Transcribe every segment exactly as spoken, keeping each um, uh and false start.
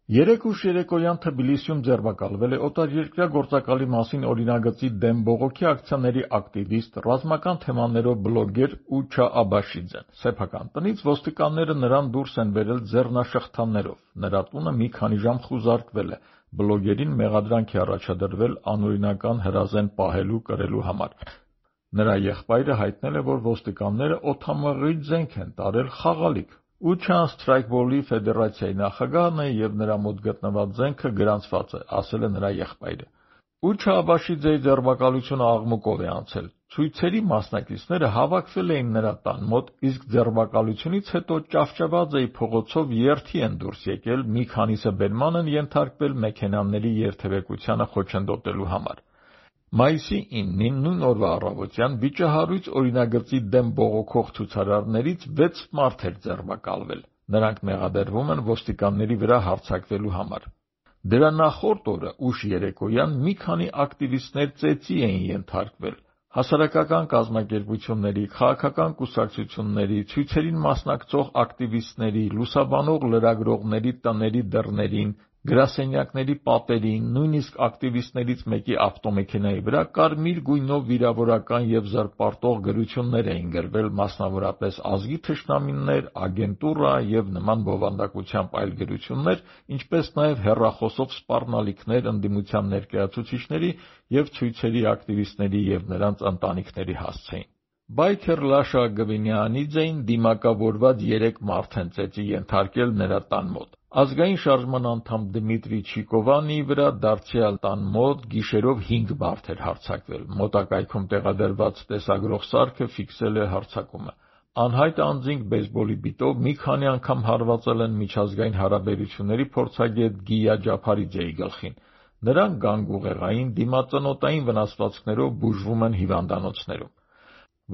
Երեկ ուշ երեկոյան Թբիլիսիում ձերբակալվել է օտարերկրյա գործակալի մասին օրինագծի դեմ բողոքի ակցիաների ակտիվիստ, ռազմական թեմաներով բլոգեր Ուչա Աբաշիձեն։ Սեփական տնից ոստիկանները նրան դուրս են բերել ձեռնաշղթաներով։ Նրա տունը մի քանի ժամ խուզարկվել է։ Բլոգերին մեղադրանք է առաջադրվել անօրինական հրազեն պահելու կրելու համար։ Նրա եղբայրը հայտնել է, որ ոստիկանները օդամղի զենք են տարել խաղալիք։ Ուչան Սթրայքբոլի ֆեդերացիայի նախագահն է և նրա մոտ գտնված զենքը գրանցված է, ասել է նրա եղբայրը։ Ուչա Աբաշիձեի ձերբակալությունը աղմուկով է անցել։ Ցույցերի մասնակիցները հավաքվել էին նրա տան մոտ, իսկ ձերբակալությունից հետո ճավճավաձեի փողոցով երթի են դուրս եկել, մի քանիսը բերման են ենթարկվել մեքենաների երթևեկությանը խոչընդոտելու համար։ Մայիսի իննին նույն օրվա առավոտյան վիճահարույց օրինագծի դեմ բողոքող ցուցարարներից վեց մարդ էր ձերբակալվել։ Նրանք մեղադրվում են ոստիկանների վրա հարձակվելու համար։ Դրա նախորդ օրը ուշ երեկոյան մի քանի ակտիվիստներ ծեծի էին ենթարկվել։ Հասարակական կազմակերպությունների, քաղաքական կուսակցությունների, ցույցերին մասնակցող ակտիվիստների, լուսաբանող լրագրողների տների դռներին, գրասենյակների պատերին, նույնիսկ ակտիվիստներից մեկի ավտոմեքենայի վրա կարմիր գույնով վիրավորական և զրպարտող գրություններ էին գրվել, մասնավորապես ազգի թշնամիներ, ագենտուրա և նման բովանդակությամբ այլ գրություններ, ինչպես նաև հեռախոսով սպառնալիքներ ընդդիմության ներկայացուցիչների և ցույցերի ակտիվիստների և նրանց ընտանիքների հասցեին։ Բայքեր Լաշա Գվինյանիձեին դիմակավորված երեք մարդ են ծեծի ենթարկել նրա տան մոտ։ Ազգային շարժման անդամ Դմիտրի Չիկովանիի վրա դարձյալ տան մոտ գիշերով հինգ մարդ էր հարձակվել։ Մոտակայքում տեղադրված տեսագրող սարքը ֆիքսել է հարձակումը։ Անհայտ անձինք բեյսբոլի բիտով մի քանի անգամ հարվածել են միջազգային հարաբերությունների փորձագետ Գիա Ջափարիձեի գլխին։ Նրանք գանգուղեղային, դիմածնոտային վնասվածքներով բուժվում են հիվանդանոցներում։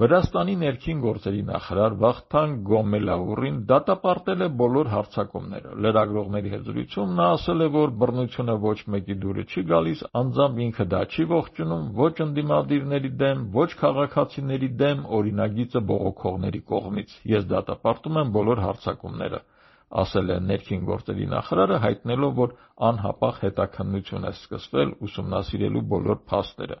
Վրաստանի ներքին գործերի նախարար Վախթանգ Գոմելաուրին դատապարտել է բոլոր հարձակումները։ Լրագրողների հետ զրույցում նա ասել է, որ բռնությունը ոչ մեկի դուռը չի գալիս, անձամբ ինքը դա չի ողջունում ոչ ընդդիմադիրների դեմ, ոչ քաղաքացիների դեմ օրինագիծը բողոքողների կողմից։ Ես դատապարտում եմ բոլոր հարձակումները, ասել է ներքին գործերի նախարարը, հայտնելով, որ անհապաղ հետաքննություն է սկսվել ուսումնասիրելու բոլոր փաստերը։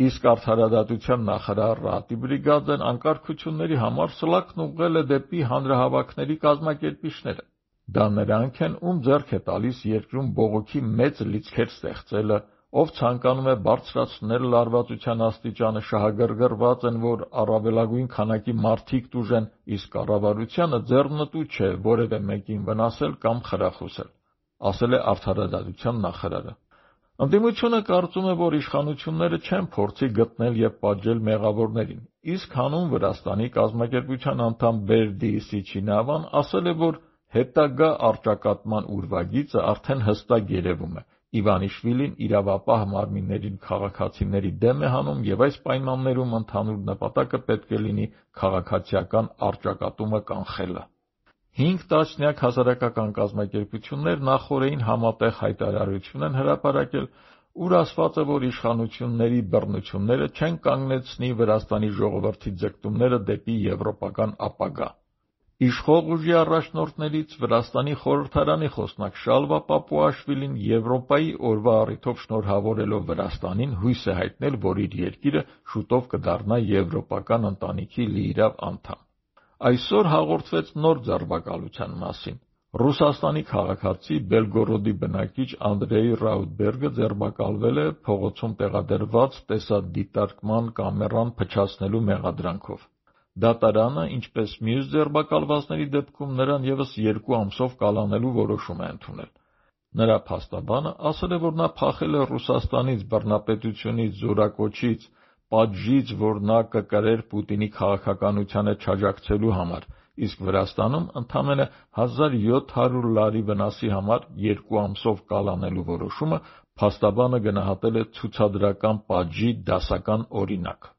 Իսկ արդարադատության նախարար Ռատի Բրիգաձեն անկարգությունների համար սլաքն ուղղել է դեպի հանրահավաքների կազմակերպիչները։ Դա նրանք են, ում ձեռք է տալիս երկրում բողոքի մեծ լիցքեր ստեղծելը, ով ցանկանում է բարձրացնել լարվածության աստիճանը, շահագրգռված են, որ առավելագույն քանակի մարդիկ տուժեն, իսկ կառավարությանը ձեռնտու չէ որևէ մեկին վնասել կամ խրախուսել, ասել է արդարադատության նախարարը։ Ընդդիմությունը կարծում է, որ իշխանությունները չեն փորձի գտնել և պատժել մեղավորներին, իսկ հանուն Վրաստանի կազմակերպության անդամ Բերդի Սիչինավան ասել է, որ հետագա առճակատման ուրվագիծը արդեն հստակ երևում է։ Իվանիշվիլին իրավապահ մարմիններին քաղաքացիների դեմ է հանում և այս պայմաններում ընդհանուր նպատակը պետք է լինի քաղաքացիական առճակատումը կանխելը։ Հինգ տասնյակ հասարակական կազմակերպություններ նախօրեին համատեղ հայտարարություն են հրապարակել, ուր ասված է, որ իշխանությունների բռնությունները չեն կանգնեցնի Վրաստանի ժողովրդի ձգտումները դեպի եվրոպական ապագա։ Իշխող ուժի առաջնորդներից Վրաստանի խորհրդարանի խոսնակ Շալվա Պապուաշվիլին Եվրոպայի օրվա առիթով շնորհավորելով Վրաստանին հույս է հայտնել, որ իր երկիրը շուտով կդառնա եվրոպական ընտանիքի լիիրավ անդամ։ Այսօր հաղորդվեց նոր ձերբակալության մասին։ Ռուսաստանի քաղաքացի Բելգորոդի բնակիչ Անդրեյ Ռաուտբերգը ձերբակալվել է փողոցում տեղադրված տեսադիտարկման կամերան փչացնելու մեղադրանքով։ Դատարանը, ինչպես մյուս ձերբակալվածների դեպքում, նրան ևս երկու ամսով կալանելու որոշում է ընդունել։ Նրա փաստաբանը ասել է, որ նա փախել է Ռուսաստանից, բռնապետությունից, զորակոչից, պատժից, որ նա կկրեր Պուտինի քաղաքականությանը չաջակցելու համար, իսկ Վրաստանում ընդամենը հազար յոթ հարյուր լարի վնասի համար երկու ամսով կալանելու որոշումը փաստաբանը գնահատել է ցուցադրական պատժի դասական օրինակ։